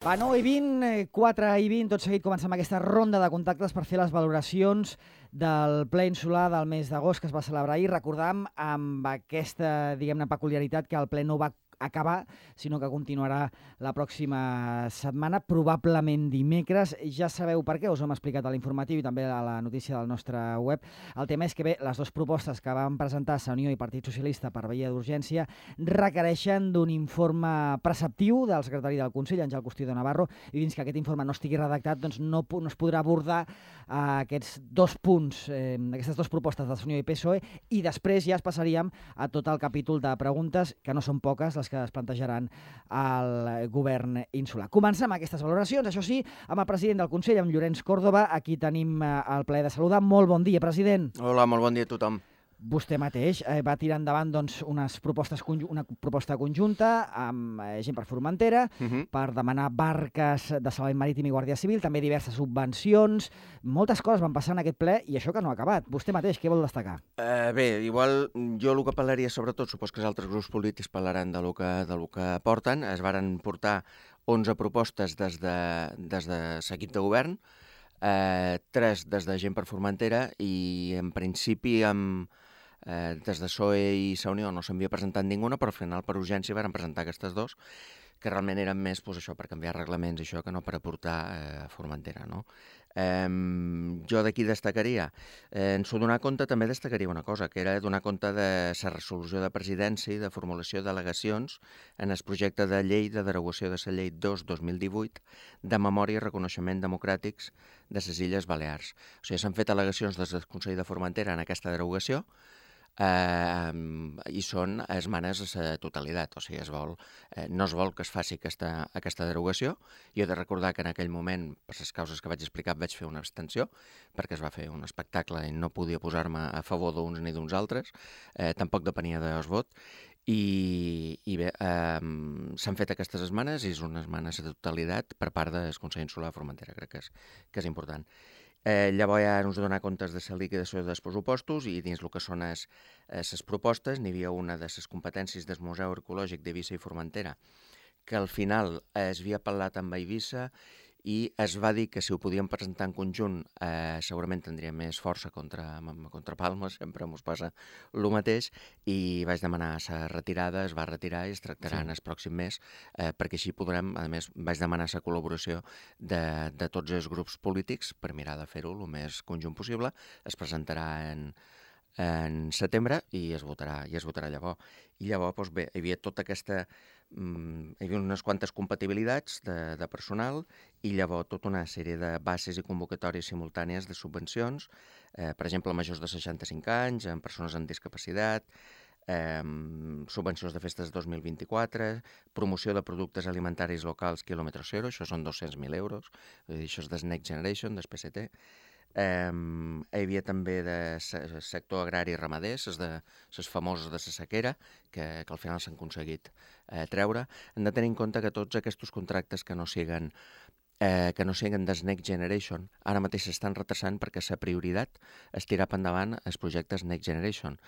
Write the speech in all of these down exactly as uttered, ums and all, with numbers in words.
Va, nou i vint, quatre i vint, tot seguit comencem aquesta ronda de contactes per fer les valoracions del ple insular del mes d'agost que es va celebrar ahir. Recordam amb aquesta, diguem-ne, peculiaritat que el ple no va acabar, sinó que continuarà la pròxima setmana, probablement dimecres. Ja sabeu per què, us ho hem explicat a l'informatiu i també a la notícia del nostre web. El tema és que bé, les dues propostes que van presentar Unió i Partit Socialista per via d'urgència requereixen d'un informe preceptiu del secretari del Consell, Àngel Costió Navarro, i fins que aquest informe no estigui redactat, doncs no, no es podrà abordar eh, aquests dos punts, eh, aquestes dues propostes de Unió i P S O E, i després ja es passaríem a tot el capítol de preguntes, que no són poques, les que es plantejaran al govern insular. Comencem aquestes valoracions, això sí, amb el president del Consell, amb Llorenç Còrdova. Aquí tenim el plaer de saludar. Molt bon dia, president. Hola, molt bon dia a tothom. Vostè mateix eh, va tirar endavant doncs, unes propostes una proposta conjunta amb eh, gent per Formentera, uh -huh. per demanar barques de salvament marítim i Guàrdia Civil, també diverses subvencions. Moltes coses van passar en aquest ple i això que no ha acabat. Vostè mateix, què vol destacar? Uh, bé, igual jo el que parlaria sobretot, supos que els altres grups polítics parlaran de lo que, de lo que porten. Es varen portar onze propostes des de, des de l'equip de govern, uh, tres des de gent per Formentera i en principi amb Eh, des de P S O E i la Unió no s'havia presentat ninguna, però al final per urgència van presentar aquestes dos, que realment eren més pues, això per canviar reglaments i això que no per aportar eh, a Formentera. No? Eh, jo d'aquí destacaria, eh, en s'ho donar compte també destacaria una cosa, que era donar compte de la resolució de presidència i de formulació d'al·legacions en el projecte de llei de derogació de la llei dos dos mil divuit de memòria i reconeixement democràtics de les Illes Balears. O sigui, s'han fet al·legacions des del Consell de Formentera en aquesta derogació, Uh, i són esmenes a la totalitat, o sigui, es vol, eh, no es vol que es faci aquesta, aquesta derogació. Jo he de recordar que en aquell moment, per les causes que vaig explicar, vaig fer una abstenció, perquè es va fer un espectacle i no podia posar-me a favor d'uns ni d'uns altres, eh, tampoc depenia del vot, i, i bé, eh, s'han fet aquestes esmenes i és una esmena a la totalitat per part del Consell Insular de Formentera, crec que és, que és important. Eh, llavors ja ens donar comptes de la liquidació dels pressupostos i dins el que són les propostes n'hi havia una de les competències del Museu Arqueològic d'Eivissa i Formentera que al final es havia parlat amb Eivissa i es va dir que si ho podíem presentar en conjunt eh, segurament tindria més força contra, contra Palma, sempre ens passa el mateix, i vaig demanar la retirada, es va retirar i es tractarà sí. en el pròxim mes, eh, perquè així podrem, a més vaig demanar la col·laboració de, de tots els grups polítics per mirar de fer-ho el més conjunt possible. Es presentarà en, en setembre i es votarà, i es votarà llavors. I llavors, doncs bé, hi havia tota aquesta... hi havia unes quantes compatibilitats de, de personal i llavors tota una sèrie de bases i convocatòries simultànies de subvencions, eh, per exemple, majors de seixanta-cinc anys, amb persones amb discapacitat, eh, subvencions de festes dos mil vint-i-quatre, promoció de productes alimentaris locals quilòmetre zero, això són dos-cents mil euros, això és del Next Generation, del P S T. Eh, hi havia també de sector agrari i ramader, les, de, les famoses de la sequera, que, que al final s'han aconseguit eh, treure. Hem de tenir en compte que tots aquests contractes que no siguen eh, que no siguen des Next Generation ara mateix s'estan retrasant perquè la prioritat és tirar per endavant els projectes Next Generation,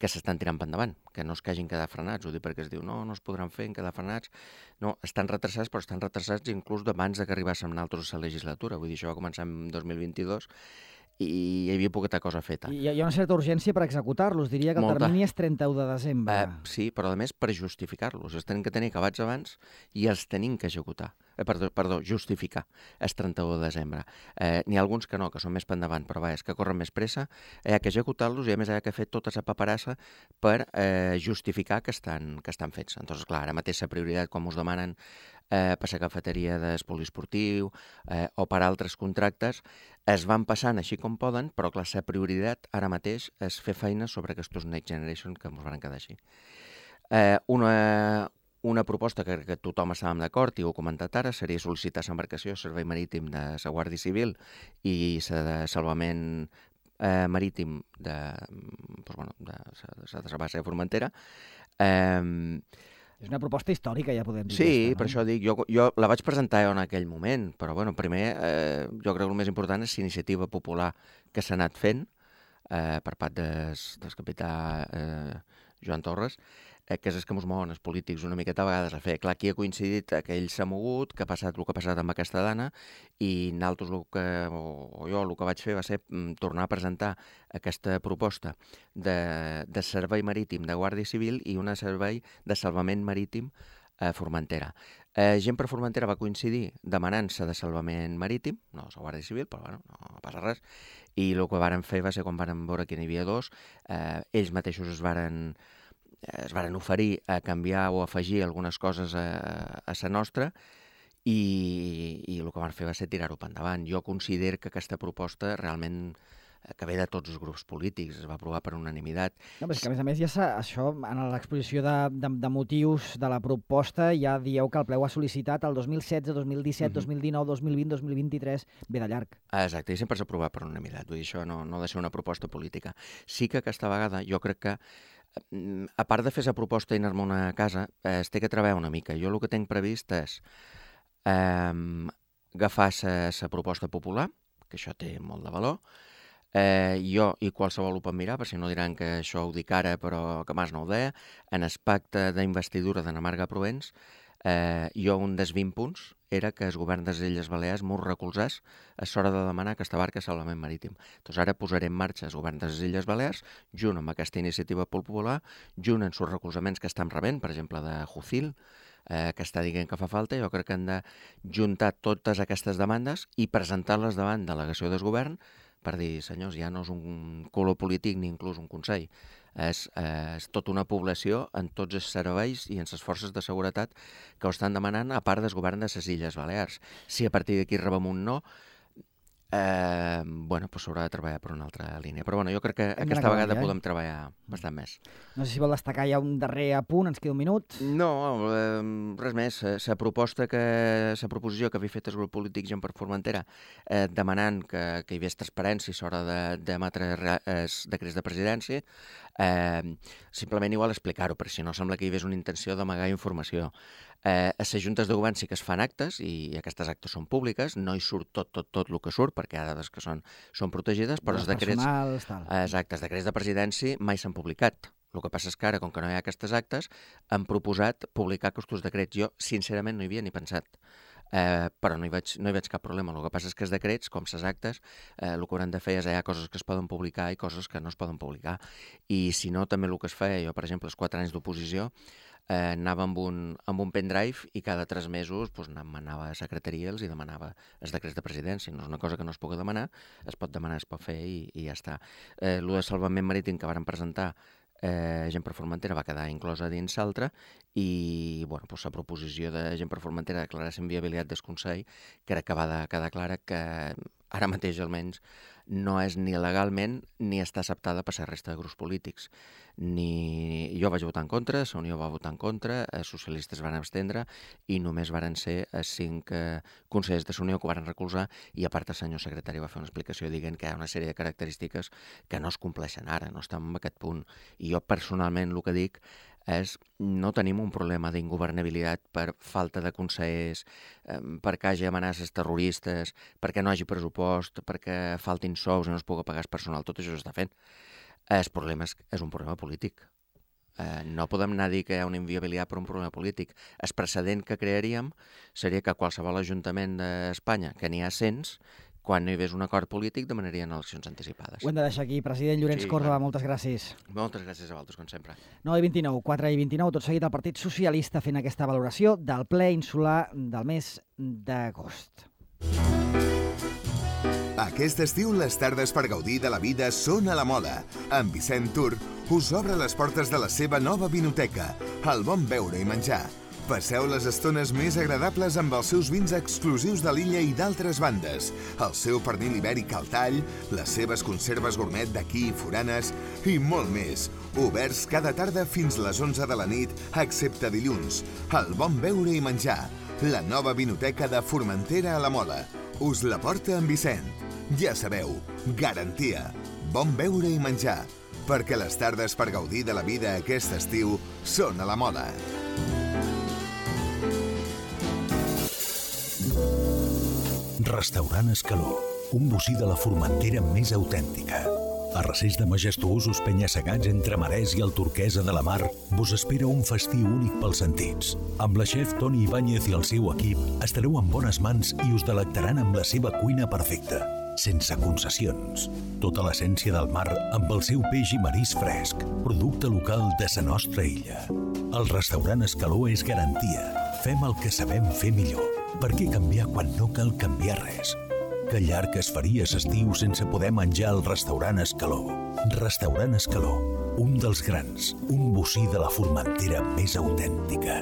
que s'estan tirant per endavant, que no es que hagin quedat frenats. Ho dic perquè es diu, no, no es podran fer en quedar frenats. No, estan retrasats, però estan retrasats inclús d'abans que arribàssim nosaltres a la legislatura. Vull dir, això va començar en dos mil vint-i-dos i hi havia poqueta cosa feta. I hi ha una certa urgència per executar-los. Diria que el Molta. termini és trenta-u de desembre. Eh, sí, però a més per justificar-los. Els tenim que tenir acabats abans i els tenim que executar. Eh, perdó, perdó, justificar el trenta-u de desembre. Eh, N'hi ha alguns que no, que són més per endavant, però va, és que corren més pressa. Hi ha que executar-los i a més hi ha que fer tota la paperassa per eh, justificar que estan, que estan fets. Entonces, clar, ara mateix la prioritat, quan us demanen eh, per la cafeteria del poliesportiu eh, o per altres contractes, es van passant així com poden, però clar, la prioritat ara mateix és fer feina sobre aquests Next Generation que ens van quedar així. Eh, una, una proposta que, que tothom estàvem d'acord i ho he comentat ara seria sol·licitar l'embarcació servei marítim de la Guàrdia Civil i la de salvament eh, marítim de, doncs, bueno, de, de, de la base de Formentera. Eh, És una proposta històrica, ja podem dir. Sí, aquesta, no? Per això dic, jo, jo la vaig presentar en aquell moment, però bueno, primer eh, jo crec que el més important és l'iniciativa popular que s'ha anat fent eh, per part des, del capità eh, Joan Torres, eh, que és el que ens mouen els polítics una miqueta a vegades a fer. Clar, aquí ha coincidit que ell s'ha mogut, que ha passat el que ha passat amb aquesta dona, i nosaltres, el que, o, o jo, el que vaig fer va ser mm, tornar a presentar aquesta proposta de, de servei marítim de Guàrdia Civil i una servei de salvament marítim a Formentera. Eh, Gent per Formentera va coincidir demanant-se de salvament marítim, no és la Guàrdia Civil, però bueno, no passa res, i el que varen fer va ser quan varen veure que n'hi havia dos, eh, ells mateixos es varen, es varen oferir a canviar o afegir algunes coses a, a la nostra, i, i el que van fer va ser tirar-ho per endavant. Jo considero que aquesta proposta realment que ve de tots els grups polítics, es va aprovar per unanimitat. No, però és que, a més a més, ja això, en l'exposició de, de, de motius de la proposta, ja dieu que el ple ho ha sol·licitat el dos mil setze, dos mil disset, uh-huh. dos mil dinou, dos mil vint, dos mil vint-i-tres, ve de llarg. Exacte, i sempre s'ha aprovat per unanimitat, vull dir, això no, no ha de ser una proposta política. Sí que aquesta vegada jo crec que, a part de fer la proposta i anar-me a una casa, eh, es té que treballar una mica. Jo el que tinc previst és eh, agafar la proposta popular, que això té molt de valor. Eh, jo i qualsevol ho pot mirar, per si no diran que això ho dic ara però que mas no ho deia, en el pacte d'investidura de na Marga Provence, eh, jo un dels vint punts era que el govern de les Illes Balears m'ho recolzés a l'hora de demanar aquesta barca de salvament marítim. Doncs ara posaré en marxa el govern de les Illes Balears, junt amb aquesta iniciativa popular, junt amb els recolzaments que estan rebent, per exemple, de Jucil, eh, que està dient que fa falta. Jo crec que hem de juntar totes aquestes demandes i presentar-les davant de delegació del govern per dir, senyors, ja no és un color polític ni inclús un consell. És, és tota una població en tots els serveis i en les forces de seguretat que ho estan demanant, a part del govern de les Illes Balears. Si a partir d'aquí rebem un no, eh, bueno, doncs s'haurà de treballar per una altra línia. Però bueno, jo crec que Hem aquesta d'anar vegada acabant, eh? podem treballar bastant més. No sé si vol destacar ja un darrer apunt, ens queda un minut. No, eh, res més. La proposta que, la proposició que havia fet el grup polític Gent per Formentera, eh, demanant que, que hi hagués transparència a l'hora d'emetre els decrets de presidència, eh, simplement igual explicar-ho, perquè si no sembla que hi hagués una intenció d'amagar informació. Eh, a les juntes de govern sí que es fan actes, i aquestes actes són públiques, no hi surt tot, tot, tot el que surt, perquè hi ha dades que són, són protegides, però els decrets, personals, tal. exacte, els decrets de presidència mai s'han publicat. El que passa és que ara, com que no hi ha aquestes actes, han proposat publicar aquests decrets. Jo, sincerament, no hi havia ni pensat. Eh, però no hi, veig, no hi veig cap problema. El que passa és que els decrets, com les actes, eh, el que hauran de fer és hi ha coses que es poden publicar i coses que no es poden publicar. I si no, també el que es feia, jo, per exemple, els quatre anys d'oposició, eh, anava amb un, amb un pendrive i cada tres mesos pues, anava a secretaria i els hi demanava els decrets de presidència. No és una cosa que no es pugui demanar, es pot demanar, es pot fer i, i ja està. Eh, el de salvament marítim que varen presentar Eh, Gent per Formentera va quedar inclosa dins l'altra i bueno, doncs la proposició de Gent per Formentera de declarar la inviabilitat del Consell crec que va de quedar clara que ara mateix almenys no és ni legalment ni està acceptada per la resta de grups polítics. Ni... Jo vaig votar en contra, la Unió va votar en contra, els socialistes van abstendre i només varen ser els cinc eh, consellers de la Unió que ho varen recolzar, i a part el senyor secretari va fer una explicació dient que hi ha una sèrie de característiques que no es compleixen ara, no estem en aquest punt. I jo personalment el que dic és no tenim un problema d'ingovernabilitat per falta de consellers, eh, perquè hi hagi amenaces terroristes, perquè no hi hagi pressupost, perquè faltin sous i no es pugui pagar el personal. Tot això s'està fent. El problema és, és un problema polític. Eh, no podem anar a dir que hi ha una inviabilitat per un problema polític. El precedent que crearíem seria que qualsevol ajuntament d'Espanya, que n'hi ha cents, quan no hi hagués un acord polític, demanarien eleccions anticipades. Ho hem de deixar aquí. President Llorenç Sí, Córdoba, clar. moltes gràcies. Moltes gràcies a vosaltres, com sempre. nou i vint-i-nou, quatre i vint-i-nou, tot seguit el Partit Socialista fent aquesta valoració del ple insular del mes d'agost. Aquest estiu les tardes per gaudir de la vida són a la moda. En Vicent Tour us obre les portes de la seva nova vinoteca, el bon beure i menjar. Passeu les estones més agradables amb els seus vins exclusius de l'illa i d'altres bandes, el seu pernil ibèric al tall, les seves conserves gourmet d'aquí i foranes i molt més. Oberts cada tarda fins les onze de la nit, excepte dilluns. El bon beure i menjar, la nova vinoteca de Formentera a la Mola. Us la porta en Vicent. Ja sabeu, garantia, bon beure i menjar, perquè les tardes per gaudir de la vida aquest estiu són a la Mola. Restaurant Escaló, un bocí de la Formentera més autèntica. A recers de majestuosos penya-segats entre marès i el turquesa de la mar, vos espera un festí únic pels sentits. Amb la xef Toni Ibáñez i el seu equip estareu en bones mans i us delectaran amb la seva cuina perfecta, sense concessions. Tota l'essència del mar amb el seu peix i marís fresc, producte local de sa nostra illa. El restaurant Escaló és garantia. Fem el que sabem fer millor. Per què canviar quan no cal canviar res? Que llarg es faria s'estiu sense poder menjar al restaurant Escaló. Restaurant Escaló, un dels grans, un bocí de la Formentera més autèntica.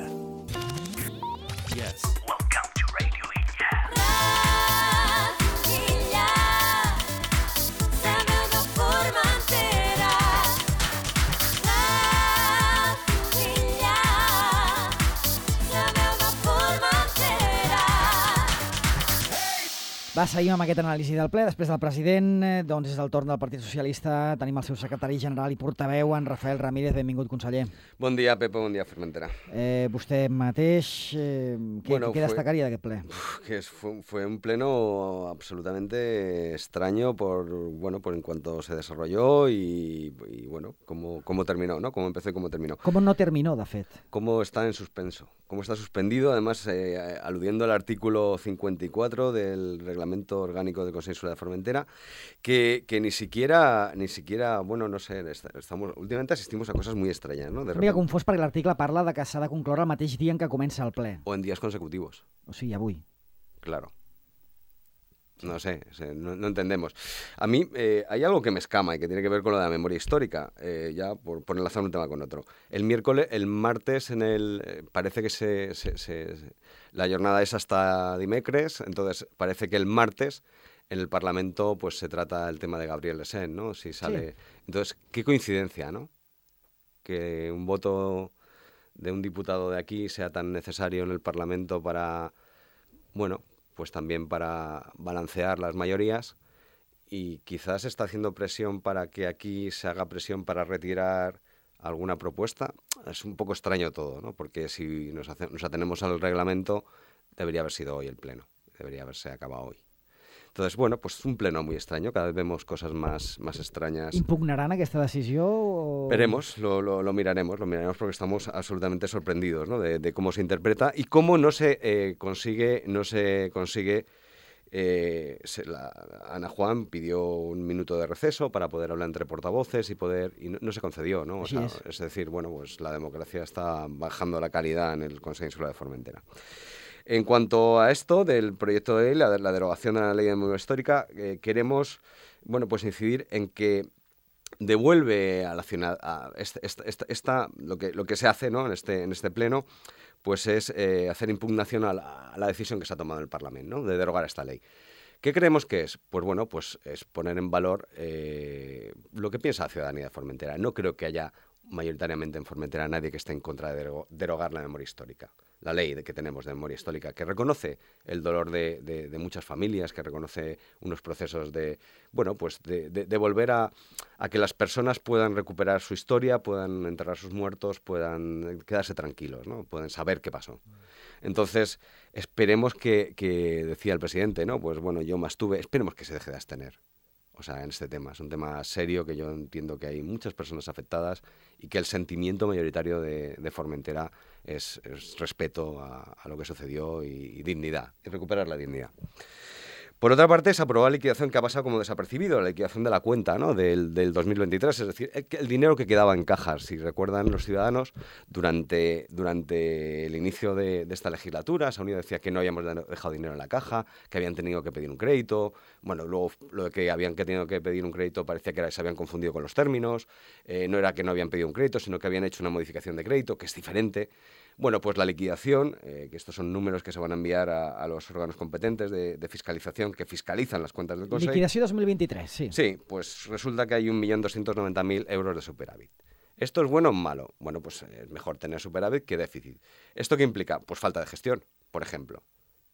Yes. Welcome to Radio Illa. Radio Illa, la meva Formentera. Radio Illa, la meva Formentera. Va, seguim amb aquest anàlisi del ple. Després del president, eh, doncs és el torn del Partit Socialista. Tenim el seu secretari general i portaveu, en Rafael Ramírez. Benvingut, conseller. Bon dia, Pepe, bon dia, Formentera. Eh, vostè mateix, eh, què, Bueno, què fue- destacaria d'aquest ple? Uf, que es- fue, fue un pleno absolutamente extraño por, bueno, por en cuanto se desarrolló y, y, bueno, cómo, cómo terminó, ¿no? Cómo empezó y cómo terminó. Com no terminó, de fet? Cómo está en suspenso, cómo está suspendido, además eh, aludiendo al artículo cincuenta y cuatro del Reglamento Orgánico del Consejo Insular de Formentera, que, que ni siquiera, ni siquiera, bueno, no sé, est- estamos, últimamente asistimos a cosas muy extrañas, ¿no? De Una mica repente, confós perquè l'article parla de que s'ha de concloure el mateix dia en què comença el ple. o en días consecutivos. O sigui, avui. Claro. No sé, sé, no, no entendemos. A mí eh, hay algo que me escama y que tiene que ver con lo de la memoria histórica, eh, ya por, por enlazar un tema con otro. El miércoles, el martes, en el eh, parece que se, se- se- se- la jornada es hasta dimecres, entonces parece que el martes en el Parlamento pues se trata el tema de Gabriel Lesén, ¿no? Si sale. Entonces, qué coincidencia, ¿no? Que un voto de un diputado de aquí sea tan necesario en el Parlamento para, bueno, pues también para balancear las mayorías, y quizás está haciendo presión para que aquí se haga presión para retirar alguna propuesta. Es un poco extraño todo, ¿no? Porque si nos, hace- nos atenemos al reglamento, debería haber sido hoy el pleno, debería haberse acabado hoy. Entonces, bueno, pues un pleno muy extraño, cada vez vemos cosas más, más extrañas. Impugnaran aquesta decisió? O... Veremos, lo, lo, lo miraremos, lo miraremos porque estamos absolutamente sorprendidos, ¿no? de, de cómo se interpreta y cómo no se eh, consigue, no se consigue. eh, se- la- Ana Juan pidió un minuto de receso para poder hablar entre portavoces y poder y no, no se concedió, ¿no? O Así sea, es. es decir, bueno, pues la democracia está bajando la calidad en el Consejo Insular de Formentera. En cuanto a esto del proyecto de ley, la, la derogación de la ley de memoria histórica, eh, queremos, bueno, pues incidir en que devuelve a la ciudad a esta, esta- esta- esta- lo que lo que se hace, ¿no? en este en este pleno, pues es eh, hacer impugnación a la, a la decisión que se ha tomado en el Parlamento, ¿no? De derogar esta ley. ¿Qué creemos que es? Pues bueno, pues es poner en valor eh, lo que piensa la ciudadanía de Formentera. No creo que haya mayoritariamente en Formentera nadie que esté en contra de dero- derogar la memoria histórica. La ley de que tenemos de memoria histórica, que reconoce el dolor de, de- de muchas familias, que reconoce unos procesos de, bueno, pues de, de- de volver a, a que las personas puedan recuperar su historia, puedan enterrar sus muertos, puedan quedarse tranquilos, ¿no? Pueden saber qué pasó. Entonces, esperemos que, que, decía el presidente, ¿no? Pues bueno, yo más tuve, esperemos que se deje de abstener. O sea, en este tema. Es un tema serio que yo entiendo que hay muchas personas afectadas y que el sentimiento mayoritario de, de Formentera es, es respeto a, a lo que sucedió y, y dignidad, y recuperar la dignidad. Por otra parte, se aprobó la liquidación que ha pasado como desapercibido, la liquidación de la cuenta, ¿no? del, del dos mil veintitrés, es decir, el, el dinero que quedaba en cajas. Si recuerdan los ciudadanos, durante, durante el inicio de, de esta legislatura, Saunido decía que no habíamos de- dejado dinero en la caja, que habían tenido que pedir un crédito. Bueno, luego lo de que habían que tenido que pedir un crédito parecía que era, se habían confundido con los términos. Eh, no era que no habían pedido un crédito, sino que habían hecho una modificación de crédito, que es diferente. Bueno, pues la liquidación, eh, que estos son números que se van a enviar a, a los órganos competentes de, de fiscalización que fiscalizan las cuentas del Consejo. Liquidació dos mil vint-i-tres, sí. Sí, pues resulta que hay un millón doscientos noventa mil euros de superávit. ¿Esto es bueno o malo? Bueno, pues es mejor tener superávit que déficit. ¿Esto qué implica? Pues falta de gestión, por ejemplo.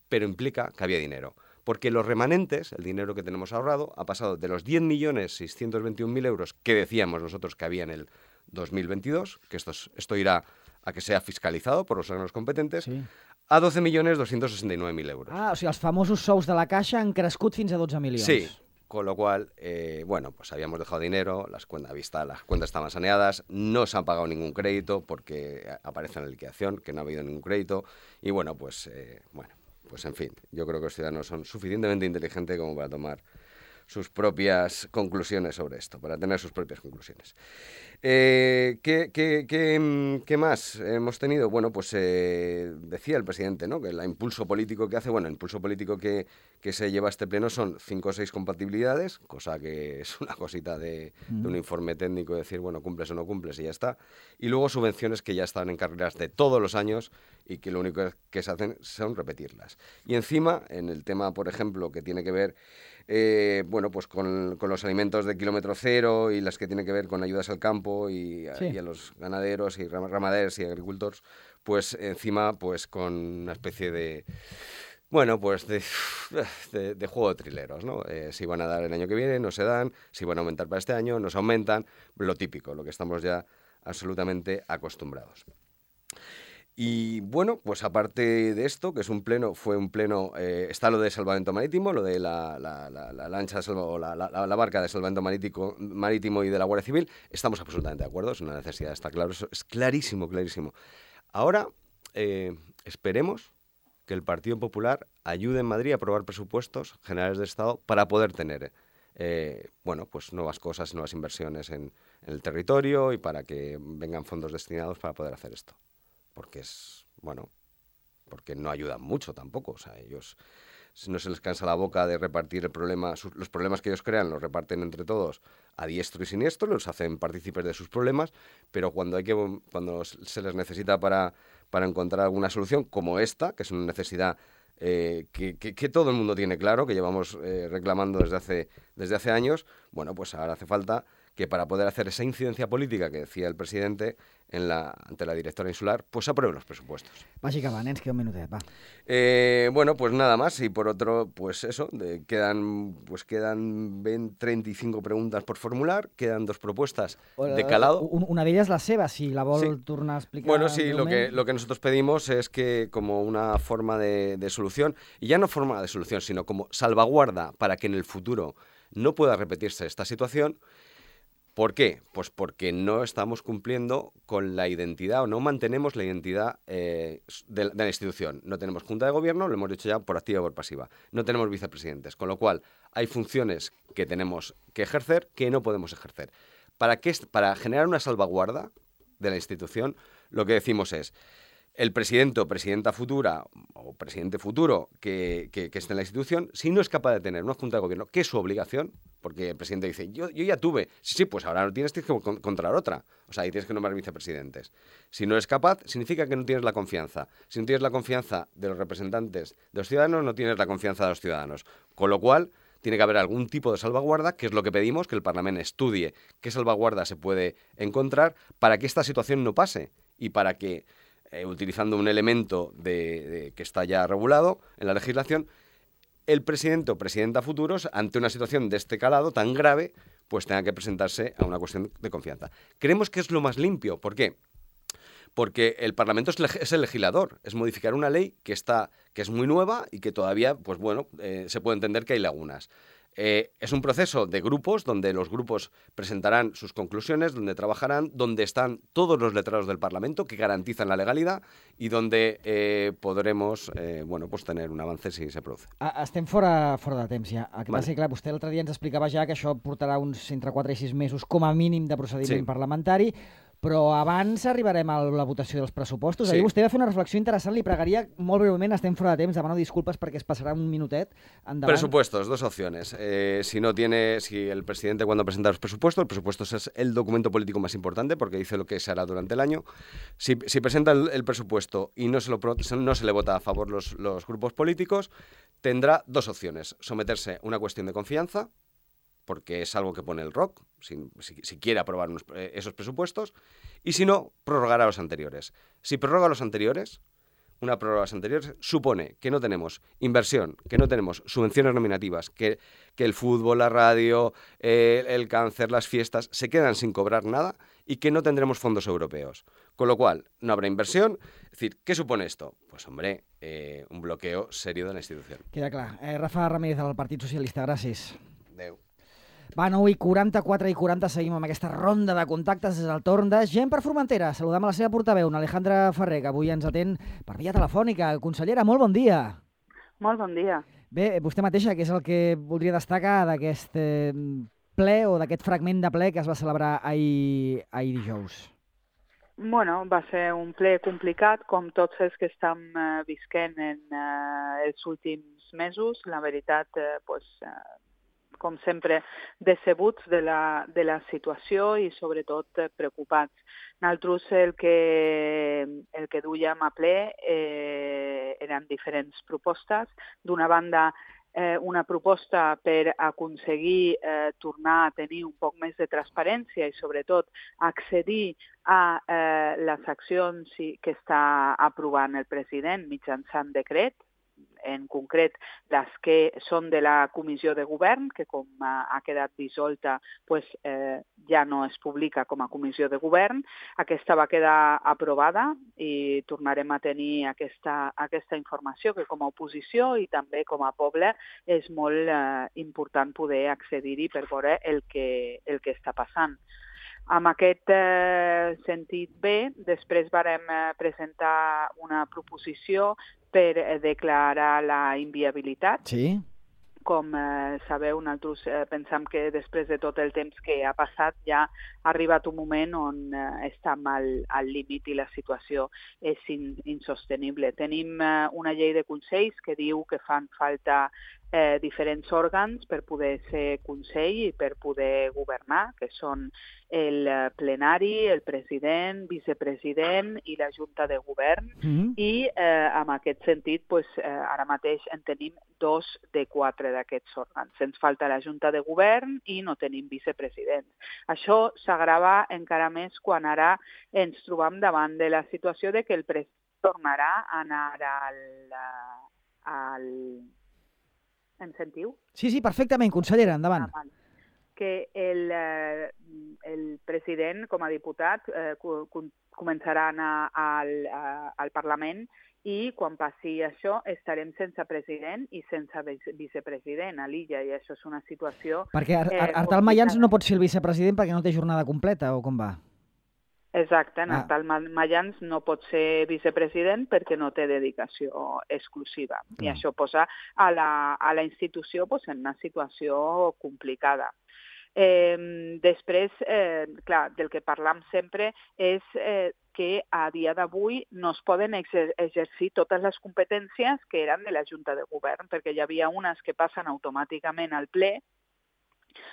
Pero implica que había dinero. Porque los remanentes, el dinero que tenemos ahorrado, ha pasado de los diez millones seiscientos veintiún mil euros que decíamos nosotros que había en el dos mil veintidós, que esto, es- esto irá a que sea fiscalizado por los órganos competentes, Sí. a doce millones doscientos sesenta y nueve mil euros. Ah, o sigui, els famosos sous de la Caixa han crescut fins a dotze milions. Sí, Con lo cual, eh, bueno, pues habíamos dejado dinero, las cuentas, vista, las cuentas estaban saneadas, no se han pagado ningún crédito porque aparece en la liquidación que no ha habido ningún crédito. Y bueno, pues, eh, bueno, pues en fin, yo creo que los ciudadanos son suficientemente inteligentes como para tomar sus propias conclusiones sobre esto, para tener sus propias conclusiones. Eh, ¿qué, qué, qué, ¿Qué más hemos tenido? Bueno, pues eh, decía el presidente, ¿no?, que el impulso político que hace, bueno, el impulso político que, que se lleva a este pleno son cinco o seis compatibilidades, cosa que es una cosita de, mm. de un informe técnico, de decir, bueno, cumples o no cumples y ya está. Y luego subvenciones que ya están en carreras de todos los años y que lo único que se hacen son repetirlas. Y encima, en el tema, por ejemplo, que tiene que ver Eh, bueno, pues con, con los alimentos de kilómetro cero y las que tienen que ver con ayudas al campo y a, sí. y a los ganaderos y ramaderos y agricultores, pues encima pues con una especie de, bueno, pues de, de, de juego de trileros, ¿no? Eh, si van a dar el año que viene, no se dan, si van a aumentar para este año, no se aumentan, lo típico, lo que estamos ya absolutamente acostumbrados. Y bueno, pues aparte de esto, que es un pleno, fue un pleno, eh, está lo de salvamento marítimo, lo de la, la, la, la lancha salva, o la, la, la barca de salvamento marítimo, marítimo y de la Guardia Civil, estamos absolutamente de acuerdo, es una necesidad, está claro, eso es clarísimo, clarísimo. Ahora, eh, esperemos que el Partido Popular ayude en Madrid a aprobar presupuestos generales del Estado para poder tener, eh, bueno, pues nuevas cosas, nuevas inversiones en, en el territorio y para que vengan fondos destinados para poder hacer esto. Porque es, bueno, porque no ayudan mucho tampoco, o sea, ellos no se les cansa la boca de repartir el problema, sus, los problemas que ellos crean los reparten entre todos a diestro y siniestro, los hacen partícipes de sus problemas, pero cuando hay que cuando se les necesita para, para encontrar alguna solución como esta, que es una necesidad eh, que, que, que todo el mundo tiene claro, que llevamos eh, reclamando desde hace, desde hace años, bueno, pues ahora hace falta que para poder hacer esa incidencia política que decía el presidente en la, ante la directora insular, pues aprueben los presupuestos. Bàsicament, ens queda un minutet, va. Eh, bueno, pues nada más, y por otro, pues eso, de, quedan, pues quedan veinte, treinta y cinco preguntas por formular, quedan dos propuestas de calado. Una d'elles la seva, si la vol sí. tornar a explicar. Bueno, sí, lo que, lo que nosotros pedimos es que como una forma de, de solución, y ya no forma de solución, sino como salvaguarda para que en el futuro no pueda repetirse esta situación. ¿Por qué? Pues porque no estamos cumpliendo con la identidad o no mantenemos la identidad eh, de, de la institución. No tenemos junta de gobierno, lo hemos dicho ya por activa y por pasiva. No tenemos vicepresidentes, con lo cual hay funciones que tenemos que ejercer que no podemos ejercer. ¿Para qué? Para generar una salvaguarda de la institución, lo que decimos es el presidente o presidenta futura o presidente futuro que, que, que esté en la institución, si no es capaz de tener una junta de gobierno, que es su obligación, porque el presidente dice, yo, yo ya tuve, sí, sí, pues ahora no tienes, tienes que encontrar otra, o sea, ahí tienes que nombrar vicepresidentes. Si no es capaz, significa que no tienes la confianza. Si no tienes la confianza de los representantes de los ciudadanos, no tienes la confianza de los ciudadanos. Con lo cual, tiene que haber algún tipo de salvaguarda, que es lo que pedimos, que el Parlamento estudie qué salvaguarda se puede encontrar para que esta situación no pase y para que Eh, utilizando un elemento de, de, que está ya regulado en la legislación, el presidente o presidenta futuros, ante una situación de este calado tan grave, pues tenga que presentarse a una cuestión de confianza. Creemos que es lo más limpio. ¿Por qué? Porque el Parlamento es, es el legislador, es modificar una ley que, está, que es muy nueva y que todavía, pues bueno, eh, se puede entender que hay lagunas. Eh, es un proceso de grupos donde los grupos presentarán sus conclusiones, donde trabajarán, donde están todos los letrados del Parlamento que garantizan la legalidad y donde eh, podremos eh, bueno, pues tener un avance si se produce. Estem fora, fora de temps ja. El que vale. passa que, clar, vostè l'altre dia ens explicava ja que això portarà uns entre quatre i sis mesos com a mínim de procediment sí. parlamentari, però abans arribarem a la votació dels pressupostos. Sí. Ahir vostè va fer una reflexió interessant, li pregaria molt breument, estem fora de temps, demano disculpes perquè es passarà un minutet. Endavant. Presupuestos, dos opciones. Eh, si no tiene, si el presidente cuando presenta los presupuestos, el presupuesto es el documento político más importante porque dice lo que se hará durante el año. Si, si presenta el, el presupuesto y no se, lo, no se le vota a favor los, los grupos políticos, tendrá dos opciones. Someterse a una cuestión de confianza, porque es algo que pone el R O C, si, si, si quiere aprobar unos, eh, esos presupuestos, y si no, prorrogar a los anteriores. Si prorroga a los anteriores, una prórroga a los anteriores supone que no tenemos inversión, que no tenemos subvenciones nominativas, que, que el fútbol, la radio, eh, el cáncer, las fiestas, se quedan sin cobrar nada y que no tendremos fondos europeos. Con lo cual, no habrá inversión. Es decir, ¿qué supone esto? Pues, hombre, eh, un bloqueo serio de la institución. Queda clar. Eh, Rafa Ramírez, del Partit Socialista, gràcies. Adéu. Va, nou i quaranta-quatre i quaranta, seguim amb aquesta ronda de contactes. És el torn de Gent per Formentera. Saludem a la seva portaveu, Alejandra Ferrer, que avui ens atén per via telefònica. Consellera, molt bon dia. Molt bon dia. Bé, vostè mateixa, què és el que voldria destacar d'aquest eh, ple o d'aquest fragment de ple que es va celebrar ahir, ahir dijous? Bueno, va ser un ple complicat, com tots els que estem eh, visquent en eh, els últims mesos. La veritat, eh, pues, eh, com sempre, decebuts de la, de la situació i sobretot eh, preocupats. Nosaltres el que, el que duíem a ple eh, eren diferents propostes. D'una banda, eh, una proposta per aconseguir eh, tornar a tenir un poc més de transparència i sobretot accedir a eh, les accions que està aprovant el president mitjançant decret, en concret les que són de la Comissió de Govern, que com ha quedat dissolta pues, eh, ja no es publica com a Comissió de Govern. Aquesta va quedar aprovada i tornarem a tenir aquesta, aquesta informació que com a oposició i també com a poble és molt eh, important poder accedir-hi per veure el que, el que està passant. Amb aquest eh, sentit bé, després vàrem eh, presentar una proposició per eh, declarar la inviabilitat. Sí. Com eh, sabeu, nosaltres eh, pensam que després de tot el temps que ha passat ja ha arribat un moment on eh, estem al, al límit i la situació és in, insostenible. Tenim eh, una llei de consells que diu que fan falta eh, diferents òrgans per poder ser consell i per poder governar, que són el plenari, el president, vicepresident i la Junta de Govern. Mm-hmm. I eh, en aquest sentit, pues, eh, ara mateix en tenim dos de quatre d'aquests òrgans. Ens falta la Junta de Govern i no tenim vicepresidents. Això s'agrava encara més quan ara ens trobam davant de la situació de que el president tornarà a anar al... al... Em sentiu? Sí, sí, perfectament, consellera, endavant. Ah, que el, eh, el president, com a diputat, eh, començarà a anar al, a, al Parlament i quan passi això estarem sense president i sense vicepresident a l'illa i això és una situació... Perquè Ar eh, Artal Mayans no pot ser el vicepresident perquè no té jornada completa, o com va? Exacte, Ah. Artal Mayans no pot ser vicepresident perquè no té dedicació exclusiva i Ah. això posa a la, a la institució pues, en una situació complicada. Eh, després, eh, clar, del que parlam sempre és eh, que a dia d'avui no es poden exer exercir totes les competències que eren de la Junta de Govern, perquè hi havia unes que passen automàticament al ple,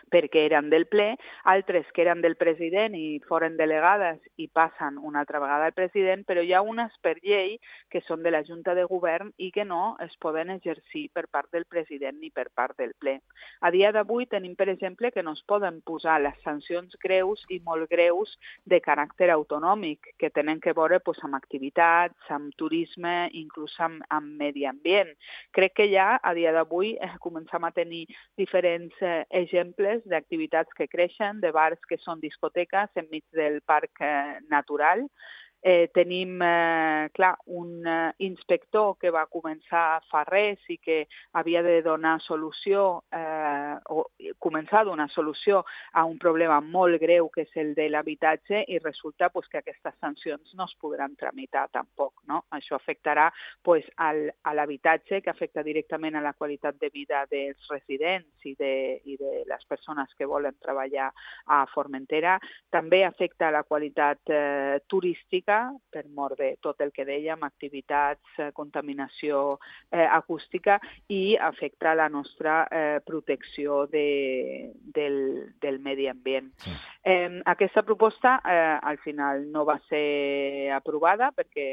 perquè eren del ple, altres que eren del president i foren delegades i passen una altra vegada al president, però hi ha unes per llei que són de la Junta de Govern i que no es poden exercir per part del president ni per part del ple. A dia d'avui tenim, per exemple, que no es poden posar les sancions greus i molt greus de caràcter autonòmic, que tenen que veure pues, amb activitats, amb turisme, inclús amb, amb medi ambient. Crec que ja a dia d'avui eh, comencem a tenir diferents eh, exemples d'activitats que creixen, de bars que són discoteques enmig del parc eh, natural. Eh, tenim, eh, clar, un eh, inspector que va començar fa res i que havia de donar solució, eh, o començar a donar solució a un problema molt greu que és el de l'habitatge i resulta pues, que aquestes sancions no es podran tramitar tampoc. No? Això afectarà pues, al, a l'habitatge, que afecta directament a la qualitat de vida dels residents i de, i de les persones que volen treballar a Formentera. També afecta a la qualitat eh, turística, per mort de tot el que dèiem, activitats, eh, contaminació eh, acústica i afecta la nostra eh, protecció de, del, del medi ambient. Sí. Eh, aquesta proposta eh, al final no va ser aprovada perquè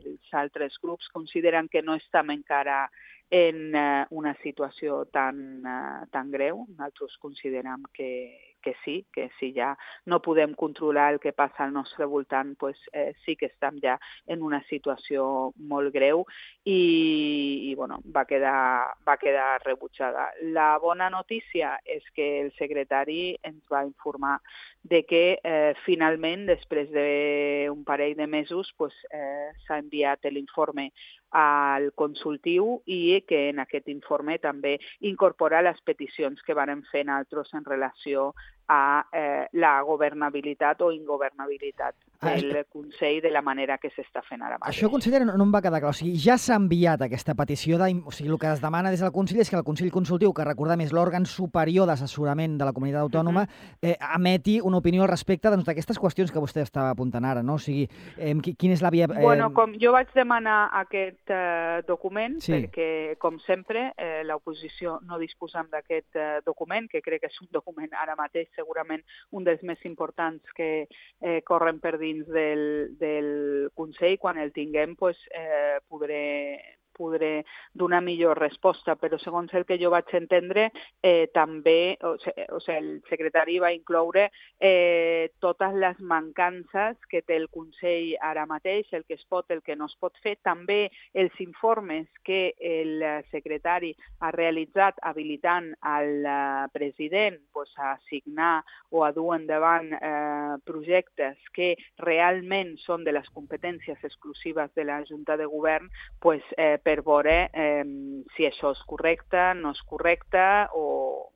els altres grups consideren que no estem encara en eh, una situació tan, eh, tan greu. Nosaltres considerem que, que sí, que si ja no podem controlar el que passa al nostre voltant, pues, eh, sí que estem ja en una situació molt greu i, i bueno, va quedar, va quedar rebutjada. La bona notícia és que el secretari ens va informar de que eh, finalment, després d'un parell de mesos, pues, eh, s'ha enviat l'informe al consultiu i que en aquest informe també incorpora les peticions que varen fer nosaltres en relació a eh, la governabilitat o ingovernabilitat del Ah, Consell de la manera que s'està fent ara mateix. Això, consellera, no, no em va quedar clar. O sigui, ja s'ha enviat aquesta petició de... O sigui, el que es demana des del Consell és que el Consell Consultiu, que recordem és l'òrgan superior d'assessorament de la comunitat autònoma, eh, emeti una opinió al respecte doncs, d'aquestes qüestions que vostè estava apuntant ara, no? O sigui, eh, qui- quina és la via... Eh... Bueno, com jo vaig demanar aquest eh, document, Sí. perquè, com sempre, eh, l'oposició no disposem d'aquest eh, document, que crec que és un document ara mateix segurament un dels més importants que eh, corren per dins del, del Consell. Quan el tinguem, pues, eh, podré podré donar millor resposta, però segons el que jo vaig entendre, eh, també o sigui, o sigui, el secretari va incloure eh, totes les mancances que té el Consell ara mateix, el que es pot, el que no es pot fer, també els informes que el secretari ha realitzat habilitant al eh, president pues, a signar o a dur endavant eh, projectes que realment són de les competències exclusives de la Junta de Govern, pues, eh, per veure eh, si això és correcte, no és correcte o...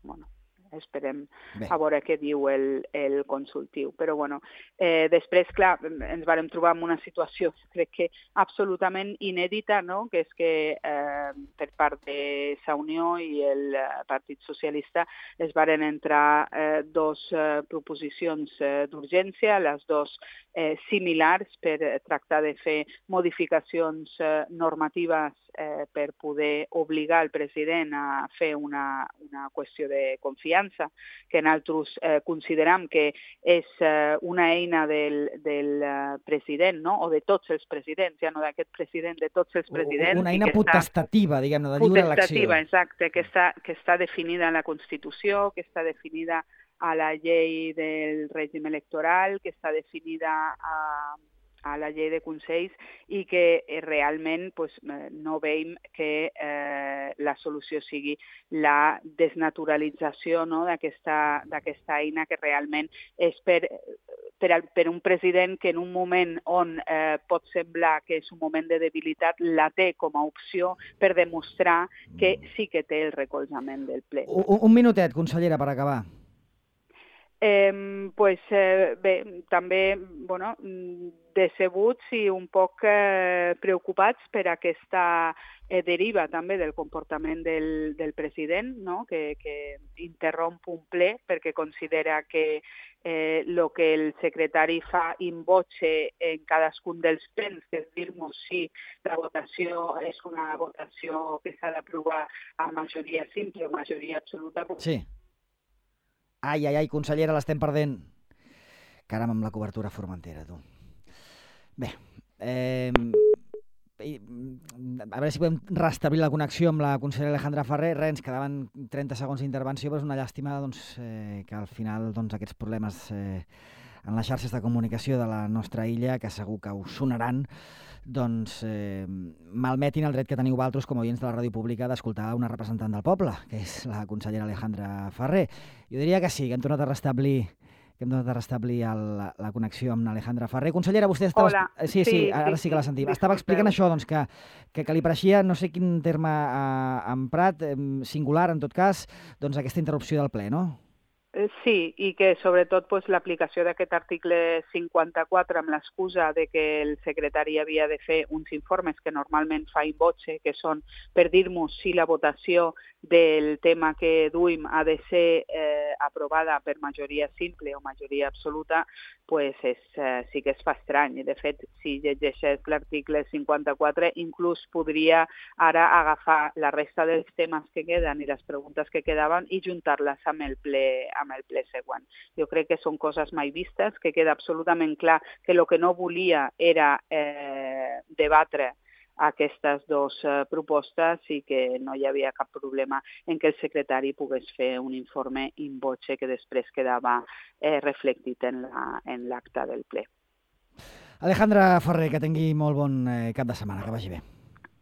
Bueno, esperem Bé. a veure què diu el, el consultiu. Però, bueno, eh, després, clar, ens vàrem trobar en una situació, crec que absolutament inèdita, no?, que és que eh, per part de Sa Unió i el eh, Partit Socialista es varen entrar eh, dos eh, proposicions eh, d'urgència, les dos eh, similars per eh, tractar de fer modificacions eh, normatives eh, per poder obligar el president a fer una, una qüestió de confiança, que nosaltres eh, consideram que és eh, una eina del, del eh, president, no?, o de tots els presidents, ja no d'aquest president, de tots els presidents. Una i eina que està- potestativa, diguem-ne, de lliure elecció. Potestativa, exacte, que està, que està definida en la Constitució, que està definida a la llei del règim electoral, que està definida a, a la llei de consells i que eh, realment pues, eh, no veiem que eh, la solució sigui la desnaturalització, no?, d'aquesta d'aquesta eina que realment és per, per, al- per un president que en un moment on eh, pot semblar que és un moment de debilitat la té com a opció per demostrar que sí que té el recolzament del ple. Un, un minutet, consellera, per acabar. Eh, pues, eh, bé, també bueno, mm, decebuts i un poc eh, preocupats per aquesta eh, deriva també del comportament del, del president, no?, que, que interromp un ple perquè considera que eh, lo que el secretari fa in voce en cadascun dels plens, que és dir-nos si la votació és una votació que s'ha d'aprovar a majoria simple o majoria absoluta, pues, Sí. Ai, ai, ai, consellera, l'estem perdent. Caram, amb la cobertura formentera, tu. Bé, eh, i, a veure si podem restablir la connexió amb la consellera Alejandra Ferrer. Res, ens quedaven trenta segons d'intervenció, però és una llàstima doncs, eh, que al final doncs, aquests problemes eh, en les xarxes de comunicació de la nostra illa, que segur que us sonaran, doncs eh, malmetin el dret que teniu vosaltres com a oients de la ràdio pública d'escoltar una representant del poble, que és la consellera Alejandra Ferrer. Jo diria que sí, que hem tornat a restablir que hem tornat a restablir el, la, la connexió amb Alejandra Ferrer. Consellera, vostè estava... Hola. Eh, Sí, sí, Sí, ara sí, sí que la sí. sentim. Estava explicant això, doncs, que, que, que li pareixia, no sé quin terme ha emprat, eh, singular, en tot cas, doncs aquesta interrupció del ple, no? Eh, Sí, i que sobretot pues, l'aplicació d'aquest article cinquanta-quatre amb l'excusa de que el secretari havia de fer uns informes que normalment fa in voce, que són per dir-nos si la votació del tema que duim ha de ser eh, aprovada per majoria simple o majoria absoluta, pues és, eh, sí que es fa estrany. De fet, si llegeixes l'article cinquanta-quatre, inclús podria ara agafar la resta dels temes que queden i les preguntes que quedaven i juntar-les amb el ple amb el ple següent. Jo crec que són coses mai vistes, que queda absolutament clar que el que no volia era eh, debatre aquestes dues eh, propostes i que no hi havia cap problema en que el secretari pogués fer un informe in voce que després quedava eh, reflectit en la- en l'acte del ple. Alejandra Ferrer, que tingui molt bon eh, cap de setmana, que vagi bé.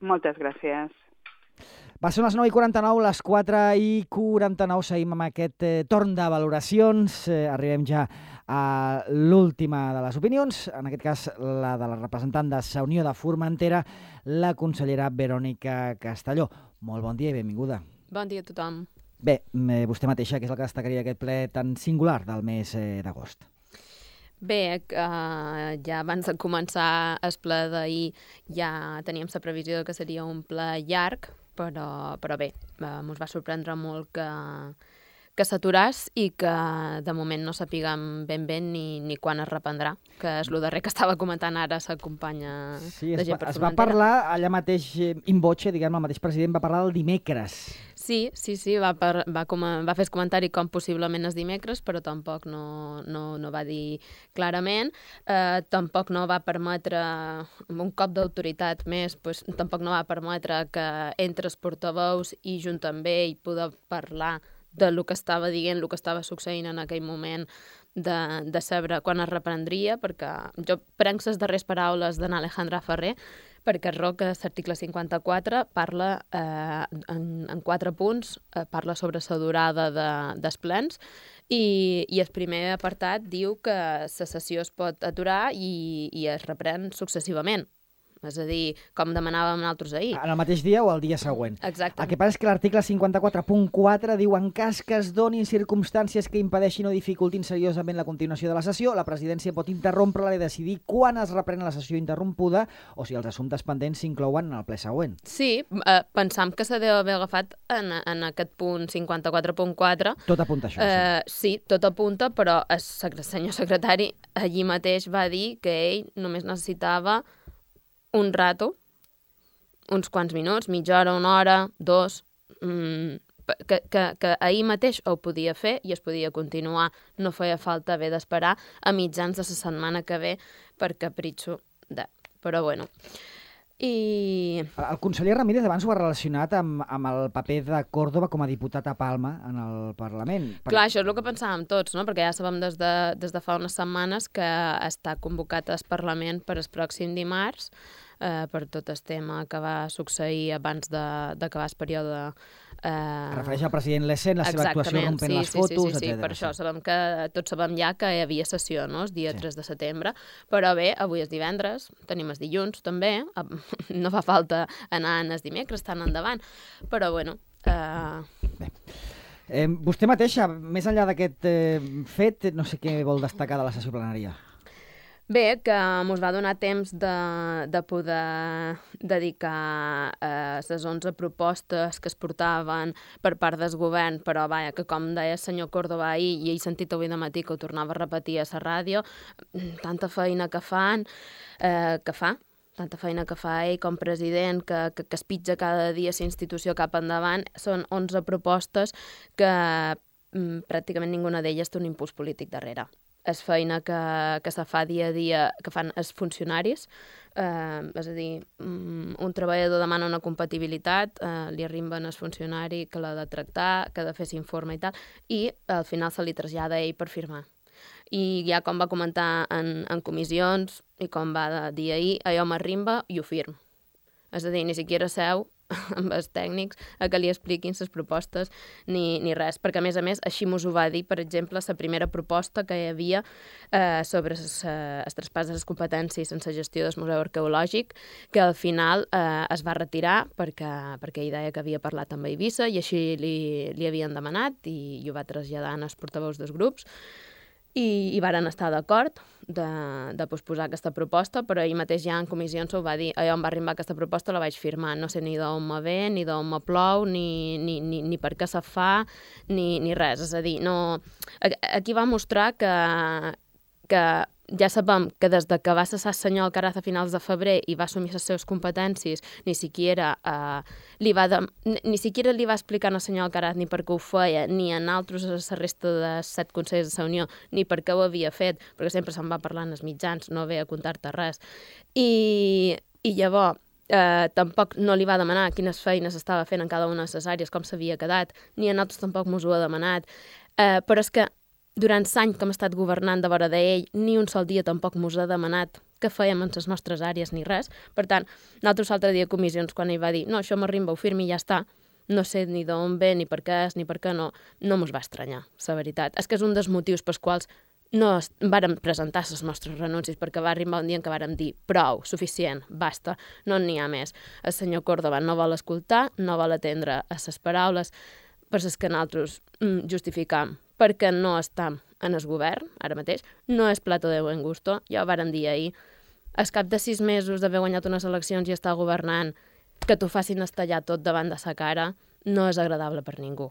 Moltes gràcies. Va ser les nou i quaranta-nou, les quatre i quaranta-nou, seguim amb aquest eh, torn de valoracions. Eh, arribem ja a l'última de les opinions, en aquest cas la de la representant de Sa Unió de Formentera, la consellera Verònica Castelló. Molt bon dia i benvinguda. Bon dia a tothom. Bé, eh, vostè mateixa, què és el que destacaria aquest ple tan singular del mes eh, d'agost? Bé, eh, ja abans de començar el ple d'ahir ja teníem la previsió que seria un ple llarg, però, però bé, eh, ens va sorprendre molt que, que s'aturàs i que de moment no sapiguem ben ben ni, ni quan es reprendrà, que és el darrer que estava comentant ara la companya Sí, de es, gent va, per es va Formentera. parlar allà mateix, eh, in voce, diguem, el mateix president va parlar del dimecres. Sí, sí, sí, va, per, va, com, va fer el comentari com possiblement és dimecres, però tampoc no, no, no va dir clarament. Eh, tampoc no va permetre, amb un cop d'autoritat més, pues, tampoc no va permetre que entre els portaveus i junt amb ell poder parlar de lo que estava dient, el que estava succeint en aquell moment, de, de saber quan es reprendria, perquè jo prenc les darreres paraules d'en Alejandra Ferrer, perquè Roc, l'article cinquanta-quatre, parla eh, en, en quatre punts, eh, parla sobre la durada de, dels plens, i, i el primer apartat diu que la sessió es pot aturar i, i es reprèn successivament. És a dir, com demanàvem nosaltres ahir. En el mateix dia o el dia següent. Exacte. El que passa és que l'article cinquanta-quatre punt quatre diu en cas que es donin circumstàncies que impedeixin o dificultin seriosament la continuació de la sessió, la presidència pot interrompre-la i decidir quan es reprèn la sessió interrompuda o si els assumptes pendents s'inclouen en el ple següent. Sí, eh, pensam que se deu haver agafat en, en aquest punt cinquanta-quatre punt quatre. Tot apunta a això, Eh, sí, tot apunta, però el secre- senyor secretari allí mateix va dir que ell només necessitava un rato, uns quants minuts, mitja hora, una hora, dos, mmm, que, que, que ahir mateix ho podia fer i es podia continuar. No feia falta haver d'esperar a mitjans de la setmana que ve per capritxo de... Però bueno... I... El conseller Ramírez abans ho ha relacionat amb, amb el paper de Córdoba com a diputat a Palma en el Parlament. Clar, això és el que pensàvem tots, no? Perquè ja sabem des de, des de fa unes setmanes que està convocat al Parlament per el pròxim dimarts eh, per tot el tema que va succeir abans d'acabar el període. Eh... Es refereix al president Lesen, la seva actuació rompent sí, les sí, fotos, sí, sí, sí. etcètera. Per això sabem que tots sabem ja que hi havia sessió, no? El dia Sí. tres de setembre. Però bé, avui és divendres, tenim els dilluns també, no fa falta anar en els dimecres, tan endavant. Però bueno... Eh... Eh, vostè mateixa, més enllà d'aquest eh, fet, no sé què vol destacar de la sessió plenària. Bé, que ens va donar temps de, de poder dedicar eh, les onze propostes que es portaven per part del govern, però vaja, que com deia el senyor Córdoba ahir, i he sentit avui de matí que ho tornava a repetir a la ràdio, tanta feina que fan, eh, que fa, tanta feina que fa ell com president, que, que, que es pitja cada dia la institució cap endavant, són onze propostes que mm, pràcticament ninguna d'elles té un impuls polític darrere. És feina que, que se fa dia a dia, que fan els funcionaris, eh, és a dir, mm, un treballador demana una compatibilitat, eh, li arrimben el funcionari que l'ha de tractar, que ha de fer l'informe i tal, i al final se li trasllada a ell per firmar. I ja com va comentar en, en comissions i com va dir ahir, allò m'arrimba i ho firm. És a dir, ni siquiera seu amb els tècnics a que li expliquin les propostes ni, ni res, perquè a més a més així mos ho va dir, per exemple, la primera proposta que hi havia eh, sobre el traspàs de les competències en la gestió del Museu Arqueològic, que al final eh, es va retirar perquè, perquè ell deia que havia parlat amb Eivissa i així li, li havien demanat i, i ho va traslladar als portaveus dels grups. I, i varen estar d'acord de, de posposar aquesta proposta, però ell mateix ja en comissions ho va dir, allò em va arribar aquesta proposta, la vaig firmar, no sé ni d'on me ve, ni d'on me plou, ni, ni, ni, ni per què se fa, ni, ni res, és a dir, no... Aquí va mostrar que, que ja sabem que des de que va cessar el senyor Alcaraz a finals de febrer i va assumir les seves competències, ni siquiera, eh, li, va de, ni, ni siquiera li va explicar al senyor Alcaraz ni per què ho feia, ni a altres a la resta de set consells de la Unió, ni per què ho havia fet, perquè sempre se'n va parlar en els mitjans, no ve a contar-te res. I, i llavors, eh, tampoc no li va demanar quines feines estava fent en cada una de les àrees, com s'havia quedat, ni a nosaltres tampoc mos ho ha demanat. Eh, però és que durant l'any que hem estat governant de vora d'ell, ni un sol dia tampoc mos ha demanat què fèiem en les nostres àrees ni res. Per tant, nosaltres l'altre dia a comissions, quan ell va dir no, això m'arrimba, ho firmi i ja està, no sé ni d'on ve, ni per què és, ni per què no, no mos va estranyar, la veritat. És que és un dels motius pels quals no es- vàrem presentar les nostres renúncies perquè va arribar un dia en què vàrem dir prou, suficient, basta, no n'hi ha més. El senyor Córdoba no vol escoltar, no vol atendre a les paraules per les que nosaltres mm, justificam perquè no estem en el govern, ara mateix, no és plato de buen gusto, ja ho vàrem dir ahir. Al cap de sis mesos d'haver guanyat unes eleccions i estar governant, que t'ho facin estallar tot davant de sa cara, no és agradable per ningú.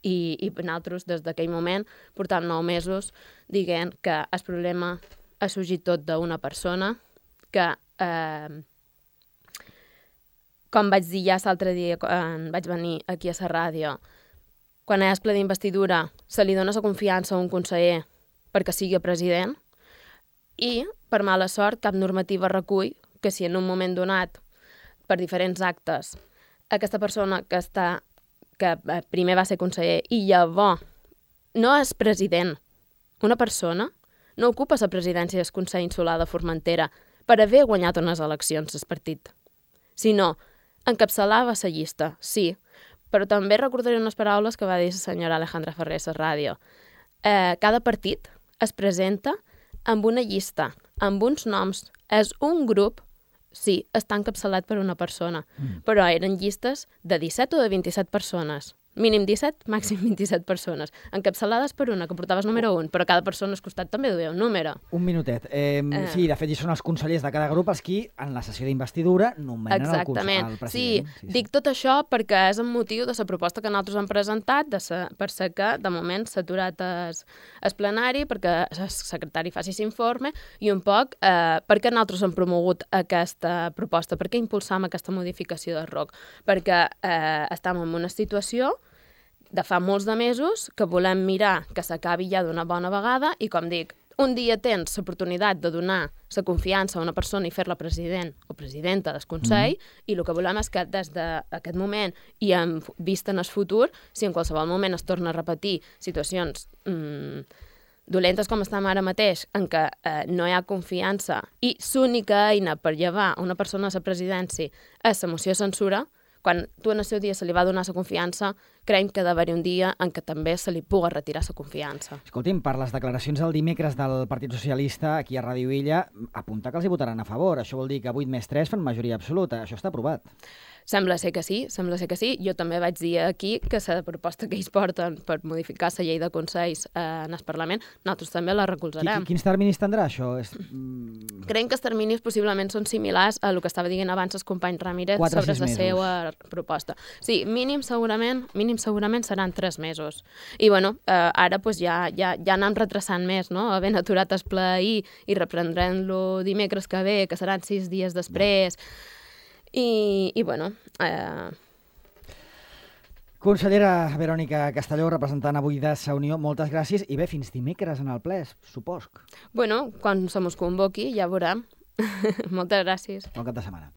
I, i nosaltres, des d'aquell moment, portam nou mesos dient que el problema ha sorgit tot d'una persona que, eh, com vaig dir ja l'altre dia, quan vaig venir aquí a la ràdio, quan hi ha el ple d'investidura se li dona la confiança a un conseller perquè sigui president i, per mala sort, cap normativa recull que si en un moment donat, per diferents actes, aquesta persona que està que eh, primer va ser conseller i llavors no és president, una persona no ocupa la presidència del Consell Insular de Formentera per haver guanyat unes eleccions el partit, sinó encapçalava la llista, sí, però també recordaré unes paraules que va dir la senyora Alejandra Ferrer a la ràdio. Eh, cada partit es presenta amb una llista, amb uns noms, és un grup. Sí, està encapçalat per una persona, mm. però eren llistes de disset o de vint-i-set persones. Mínim disset, màxim vint-i-set persones. Encapçalades per una, que portaves número un, però cada persona al costat també duia un número. Un minutet. Eh, eh. Sí, de fet, hi són els consellers de cada grup els qui, en la sessió d'investidura, nomenen el, Exactament. el president. Sí, sí, sí, dic tot això perquè és el motiu de la proposta que nosaltres hem presentat, de sa, per ser que, de moment, s'ha aturat es, es plenari, perquè el secretari faci l'informe, i un poc eh, perquè nosaltres hem promogut aquesta proposta, perquè impulsam aquesta modificació del R O C, perquè eh, estem en una situació de fa molts de mesos que volem mirar que s'acabi ja d'una bona vegada i, com dic, un dia tens l'oportunitat de donar la confiança a una persona i fer-la president o presidenta del Consell mm. i el que volem és que des d'aquest moment i en vista en el futur, si en qualsevol moment es torna a repetir situacions mm, dolentes com estem ara mateix, en què eh, no hi ha confiança i l'única eina per llevar una persona a la presidència és la moció de censura, quan tu en el seu dia se li va donar la confiança, creiem que ha d'haver un dia en què també se li puga retirar la confiança. Escolti'm, per les declaracions del dimecres del Partit Socialista aquí a Ràdio Illa, apunta que els hi votaran a favor. Això vol dir que vuit més tres fan majoria absoluta. Això està aprovat. Sembla ser que sí, sembla ser que sí. Jo també vaig dir aquí que la proposta que ells porten per modificar la llei de consells eh, en el Parlament, nosaltres també la recolzarem. Quins terminis tindrà això? És... Creiem que els terminis possiblement són similars a el que estava dient abans el company Ramírez quatre, sobre la mesos. seva proposta. Sí, mínim segurament, mínim segurament seran tres mesos. I bueno, eh, ara pues, ja, ja, ja anem retrasant més, no? Havent aturat el ple ahir i reprendrem-lo dimecres que ve, que seran sis dies després. I, i bueno... Eh... Consellera Verònica Castelló, representant avui de Sa Unió, moltes gràcies i bé, fins dimecres en el ple, supos. Bueno, quan se mos convoqui ja veurem. Moltes gràcies. Bon cap de setmana.